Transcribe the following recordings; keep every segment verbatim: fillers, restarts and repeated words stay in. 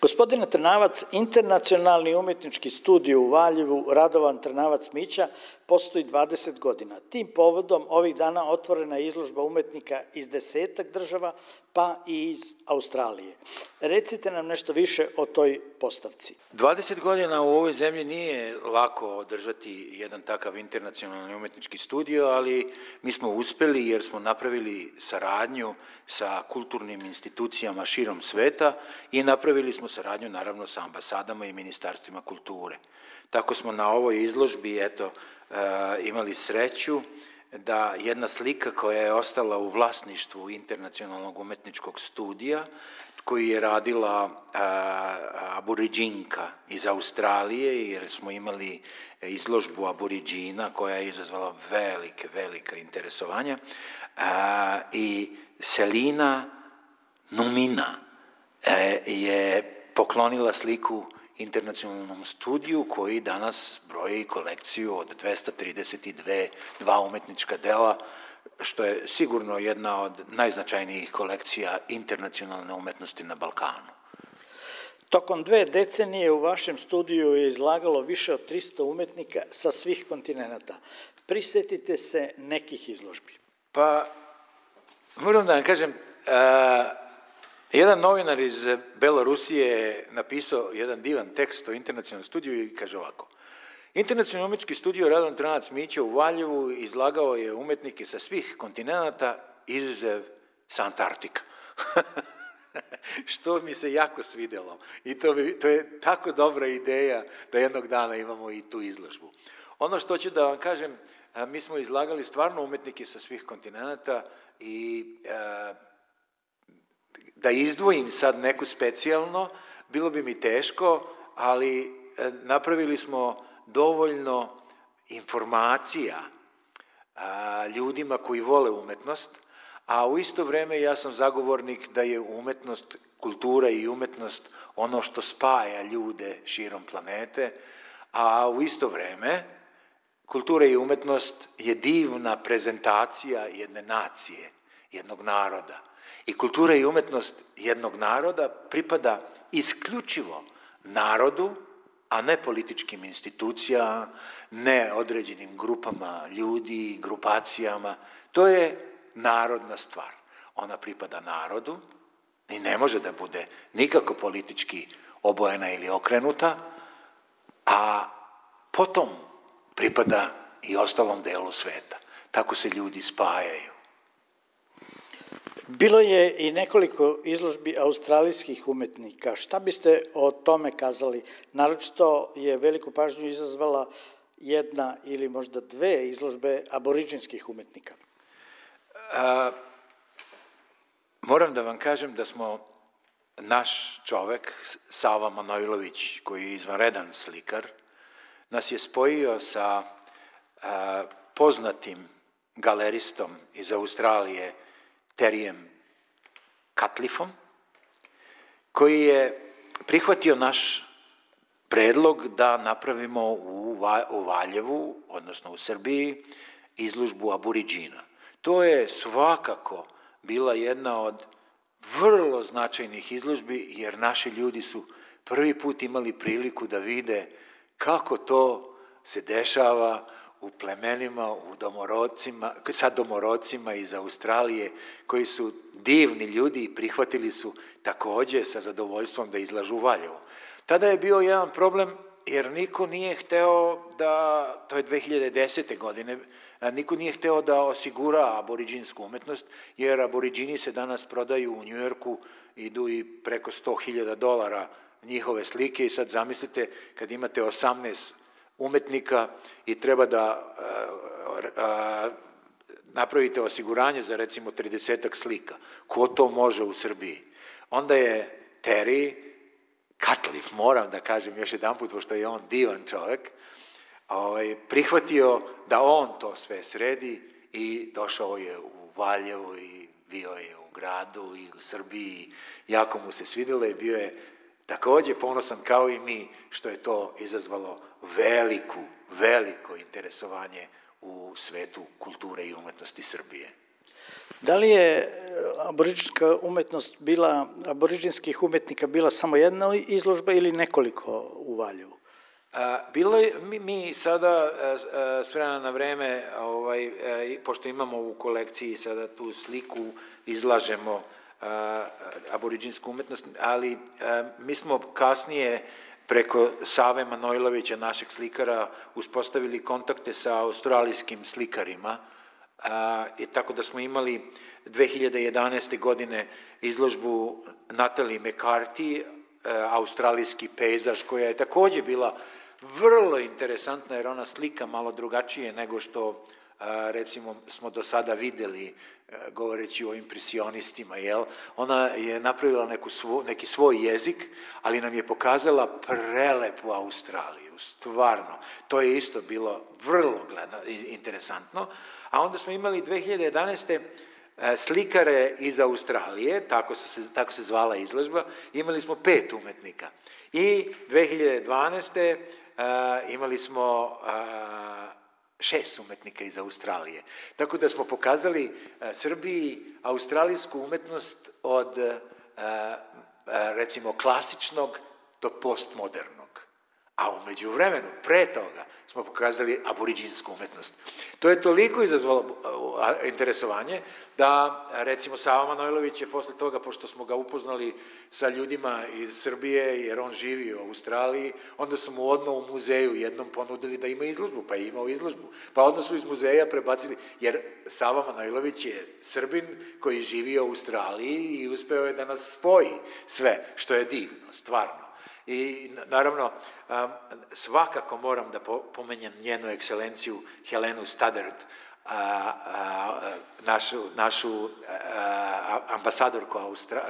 Gospodine Trnavac, internacionalni umetnički studij u Valjevu Radovan Trnavac Mića postoji dvadeset godina. Tim povodom ovih dana otvorena je izložba umetnika iz desetak država, pa i iz Australije. Recite nam nešto više o toj postavci. dvadeset godina u ovoj zemlji nije lako održati jedan takav internacionalni umetnički studio, ali mi smo uspeli jer smo napravili saradnju sa kulturnim institucijama širom sveta i napravili smo saradnju naravno sa ambasadama i ministarstvima kulture. Tako smo na ovoj izložbi eto, imali sreću da jedna slika koja je ostala u vlasništvu internacionalnog umetničkog studija, koju je radila aboriđinka iz Australije, jer smo imali izložbu aboriđina koja je izazvala velike, velika interesovanja, i Selina Numina je poklonila sliku internacionalnom studiju koji danas broji kolekciju od dvesta trideset dva umetnička dela, što je sigurno jedna od najznačajnijih kolekcija internacionalne umetnosti na Balkanu. Tokom dve decenije u vašem studiju je izlagalo više od trista umetnika sa svih kontinenta. Prisetite se nekih izložbi. Pa, moram da vam kažem, jedan novinar iz Belorusije je napisao jedan divan tekst o internacionalnom studiju i kaže ovako: Internacionalni umetnički studio Radovan Trnavac Mića u Valjevu izlagao je umetnike sa svih kontinenta, izuzev sa Antarktika. Što mi se jako svidelo. I to, bi, to je tako dobra ideja da jednog dana imamo i tu izložbu. Ono što ću da vam kažem, mi smo izlagali stvarno umetnike sa svih kontinenta i e, da izdvojim sad neku specijalno, bilo bi mi teško, ali napravili smo dovoljno informacija a, ljudima koji vole umetnost, a u isto vreme ja sam zagovornik da je umetnost, kultura i umetnost ono što spaja ljude širom planete, a u isto vreme kultura i umetnost je divna prezentacija jedne nacije, jednog naroda. I kultura i umetnost jednog naroda pripada isključivo narodu, a ne političkim institucijama, ne određenim grupama ljudi, grupacijama. To je narodna stvar. Ona pripada narodu i ne može da bude nikako politički obojena ili okrenuta, a potom pripada i ostalom delu sveta. Tako se ljudi spajaju. Bilo je i nekoliko izložbi australijskih umetnika. Šta biste o tome kazali? Naročito je veliku pažnju izazvala jedna ili možda dve izložbe aboriđinskih umetnika. A, moram da vam kažem da smo naš čovek, Sava Manojlović, koji je izvanredan slikar, nas je spojio sa a, poznatim galeristom iz Australije, Terijem Katlifom, koji je prihvatio naš predlog da napravimo u Valjevu, odnosno u Srbiji, izložbu aboriđina. To je svakako bila jedna od vrlo značajnih izložbi, jer naši ljudi su prvi put imali priliku da vide kako to se dešava u plemenima, u domorodcima, sa domorodcima iz Australije, koji su divni ljudi i prihvatili su takođe sa zadovoljstvom da izlažu u Valjevu. Tada je bio jedan problem, jer niko nije hteo da, to je dve hiljade desete. godine, niko nije hteo da osigura aboriđinsku umetnost, jer aboriđini se danas prodaju u Njujorku, idu i preko sto hiljada dolara njihove slike i sad zamislite kad imate osamnaest umetnika i treba da a, a, napravite osiguranje za recimo tridesetak slika. Ko to može u Srbiji? Onda je Terry Katlif, moram da kažem još jedan put, pošto je on divan čovek, ovaj, prihvatio da on to sve sredi i došao je u Valjevo i bio je u gradu i u Srbiji. Jako mu se svidelo i bio je takođe ponosan kao i mi što je to izazvalo veliku, veliko interesovanje u svetu kulture i umetnosti Srbije. Da li je aboriđinska umetnost bila, aboriđinskih umetnika bila samo jedna izložba ili nekoliko u Valjevu? Bilo je, mi, mi sada s vremena na vreme, ovaj, pošto imamo u kolekciji sada tu sliku, izlažemo aboriđinsku umetnost, ali mi smo kasnije preko Save Manojlovića, našeg slikara, uspostavili kontakte sa australijskim slikarima, i tako da smo imali dve hiljade jedanaeste. godine izložbu Natalie McCarthy, australijski pejzaž, koja je takođe bila vrlo interesantna, jer ona slika malo drugačije nego što, recimo, smo do sada videli, govoreći o impresionistima, jel? Ona je napravila neku svo, neki svoj jezik, ali nam je pokazala prelepu Australiju, stvarno. To je isto bilo vrlo gledano, interesantno. A onda smo imali dve hiljade jedanaeste. slikare iz Australije, tako se, tako se zvala izložba, imali smo pet umetnika. I dve hiljade dvanaeste. imali smo šest umetnika iz Australije. Tako da smo pokazali Srbiji australijsku umetnost od, recimo, klasičnog do postmodernog. A umeđu vremenu, pre toga, smo pokazali aboriđinsku umetnost. To je toliko izazvalo interesovanje da, recimo, Sava Manojlović je posle toga, pošto smo ga upoznali sa ljudima iz Srbije, jer on živi u Australiji, onda su mu odmah u muzeju jednom ponudili da ima izložbu, pa je imao izložbu. Pa odmah su iz muzeja prebacili, jer Sava Manojlović je Srbin koji živi u Australiji i uspeo je da nas spoji sve, što je divno, stvarno. I naravno, svakako moram da pomenjem njenu ekscelenciju Helenu Stoddard, našu, našu ambasadorku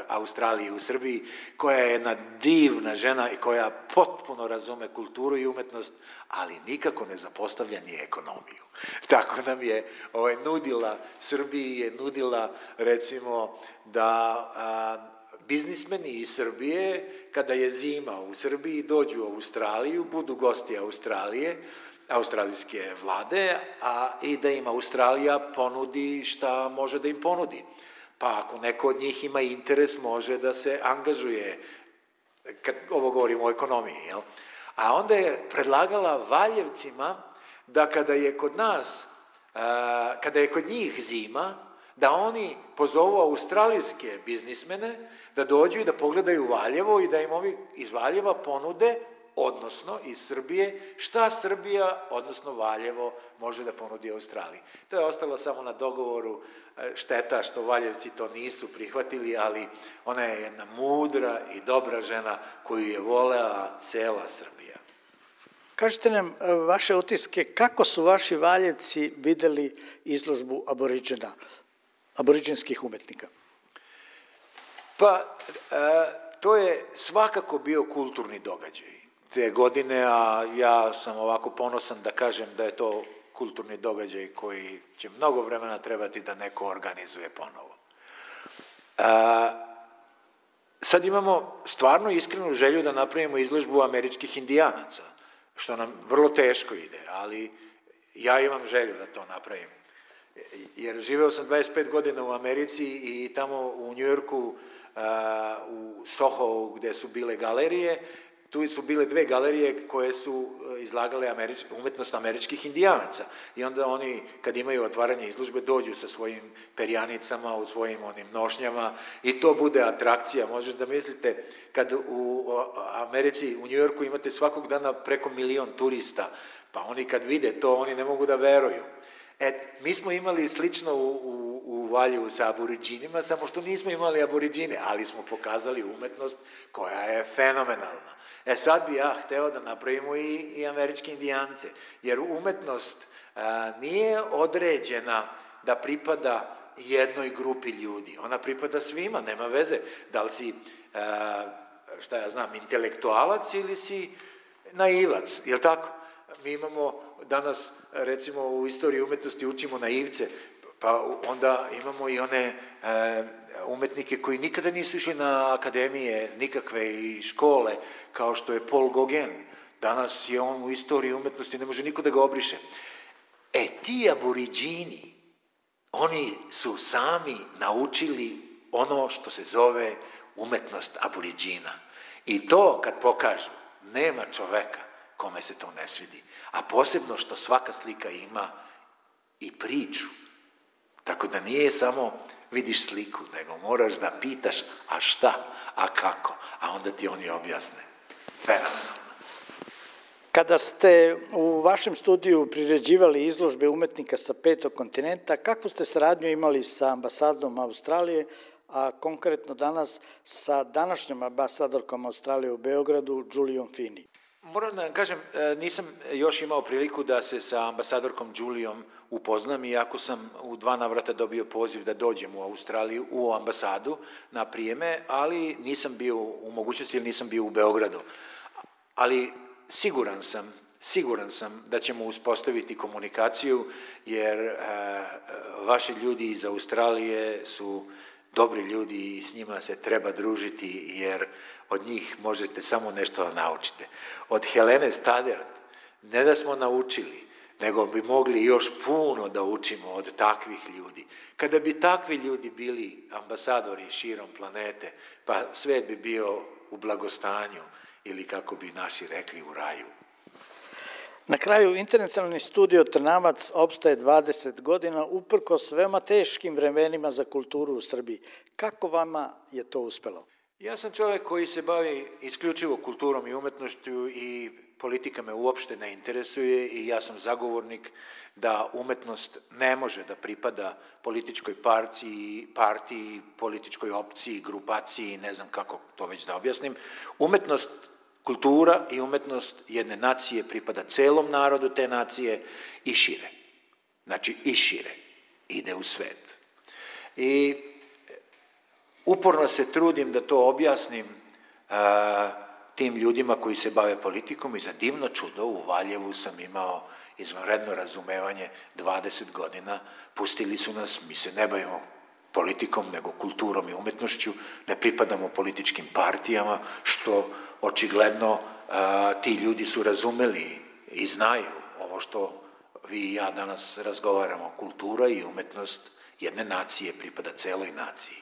Australije u Srbiji, koja je jedna divna žena i koja potpuno razume kulturu i umetnost, ali nikako ne zapostavlja ni ekonomiju. Tako nam je ovaj, nudila, Srbiji je nudila, recimo, da biznismeni iz Srbije, kada je zima u Srbiji, dođu u Australiju, budu gosti Australije, australijske vlade, a i da im Australija ponudi šta može da im ponudi. Pa ako neko od njih ima interes, može da se angažuje, kad ovo govorimo o ekonomiji, jel? A onda je predlagala Valjevcima da kada je kod nas, kada je kod njih zima, da oni pozovu australijske biznismene da dođu i da pogledaju Valjevo i da im ovi iz Valjeva ponude, odnosno iz Srbije, šta Srbija, odnosno Valjevo, može da ponudi Australiji. To je ostalo samo na dogovoru, šteta što Valjevci to nisu prihvatili, ali ona je jedna mudra i dobra žena koju je volea cela Srbija. Kažite nam vaše utiske, kako su vaši Valjevci videli izložbu aboriđena, aboriđinskih umetnika? Pa, to je svakako bio kulturni događaj te godine, a ja sam ovako ponosan da kažem da je to kulturni događaj koji će mnogo vremena trebati da neko organizuje ponovo. Sad imamo stvarno iskrenu želju da napravimo izložbu američkih indijanaca, što nam vrlo teško ide, ali ja imam želju da to napravim. Jer živeo sam dvadeset pet godina u Americi i tamo u Njujorku, u Soho, gde su bile galerije, tu su bile dve galerije koje su izlagale umetnost američkih indijanaca. I onda oni, kad imaju otvaranje izložbe, dođu sa svojim perjanicama, u svojim onim nošnjama i to bude atrakcija. Možete da mislite, kad u Americi, u Njujorku imate svakog dana preko milion turista, pa oni kad vide to, oni ne mogu da veruju. E, mi smo imali slično u, u, u Valjevu sa aboriđinima, samo što nismo imali aboriđine, ali smo pokazali umetnost koja je fenomenalna. E sad bi ja hteo da napravimo i, i američke indijance, jer umetnost a, nije određena da pripada jednoj grupi ljudi, ona pripada svima, nema veze da li si, a, šta ja znam, intelektualac ili si naivac, je li tako? Mi imamo danas, recimo, u istoriji umetnosti učimo naivce, pa onda imamo i one e, umetnike koji nikada nisu išli na akademije, nikakve i škole, kao što je Paul Gauguin. Danas je on u istoriji umetnosti, ne može niko da ga obriše. E, ti aboriđini, oni su sami naučili ono što se zove umetnost aboriđina. I to kad pokažu, nema čoveka kome se to ne svidi. A posebno što svaka slika ima i priču. Tako da nije samo vidiš sliku, nego moraš da pitaš a šta, a kako, a onda ti oni objasne. Fenomenalno. Kada ste u vašem studiju priređivali izložbe umetnika sa petog kontinenta, kakvu ste saradnju imali sa ambasadom Australije, a konkretno danas sa današnjom ambasadorkom Australije u Beogradu, Julijom Fini? Moram da kažem, nisam još imao priliku da se sa ambasadorkom Julijom upoznam, iako sam u dva navrata dobio poziv da dođem u Australiju, u ambasadu na prijeme, ali nisam bio u mogućnosti ili nisam bio u Beogradu. Ali siguran sam, siguran sam da ćemo uspostaviti komunikaciju, jer e, vaši ljudi iz Australije su dobri ljudi i s njima se treba družiti, jer od njih možete samo nešto da naučite. Od Helene Stadert ne da smo naučili, nego bi mogli još puno da učimo od takvih ljudi. Kada bi takvi ljudi bili ambasadori širom planete, pa svet bi bio u blagostanju, ili kako bi naši rekli, u raju. Na kraju, Internacionalni studio Trnavac opstaje dvadeset godina uprkos veoma teškim vremenima za kulturu u Srbiji. Kako vama je to uspelo? Ja sam čovjek koji se bavi isključivo kulturom i umetnošću i politika me uopšte ne interesuje i ja sam zagovornik da umetnost ne može da pripada političkoj partiji, partiji, političkoj opciji, grupaciji, ne znam kako to već da objasnim. Umetnost, kultura i umetnost jedne nacije pripada celom narodu te nacije i šire. Znači i šire. Ide u svet. I uporno se trudim da to objasnim a, tim ljudima koji se bave politikom i za divno čudo u Valjevu sam imao izvanredno razumevanje dvadeset godina. Pustili su nas, mi se ne bavimo politikom, nego kulturom i umetnošću, ne pripadamo političkim partijama, što očigledno a, ti ljudi su razumeli i znaju ovo što vi i ja danas razgovaramo. Kultura i umetnost jedne nacije pripada celoj naciji.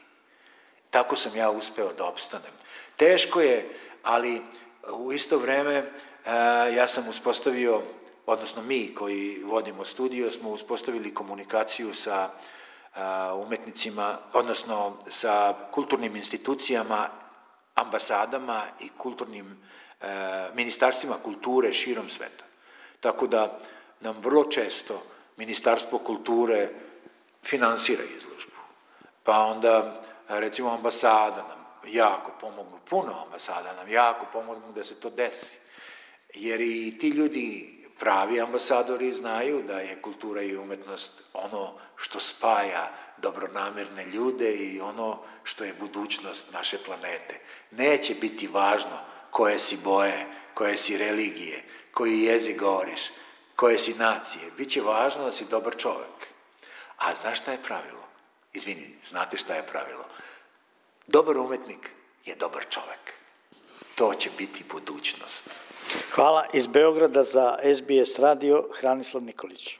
Tako sam ja uspeo da opstanem. Teško je, ali u isto vreme a, ja sam uspostavio, odnosno mi koji vodimo studio, smo uspostavili komunikaciju sa a, umetnicima, odnosno sa kulturnim institucijama, ambasadama i kulturnim e, ministarstvima kulture širom sveta. Tako da nam vrlo često Ministarstvo kulture finansira izložbu. Pa onda, recimo, ambasada nam jako pomognu, puno ambasada nam jako pomognu da se to desi. Jer i ti ljudi, pravi ambasadori, znaju da je kultura i umetnost ono što spaja dobronamerne ljude i ono što je budućnost naše planete. Neće biti važno koje si boje, koje si religije, koji jezik govoriš, koje si nacije. Biće važno da si dobar čovek. A znaš šta je pravilo? Izvini, znate šta je pravilo? Dobar umetnik je dobar čovek. To će biti budućnost. Hvala. Iz Beograda za S B S radio, Hranislav Nikolić.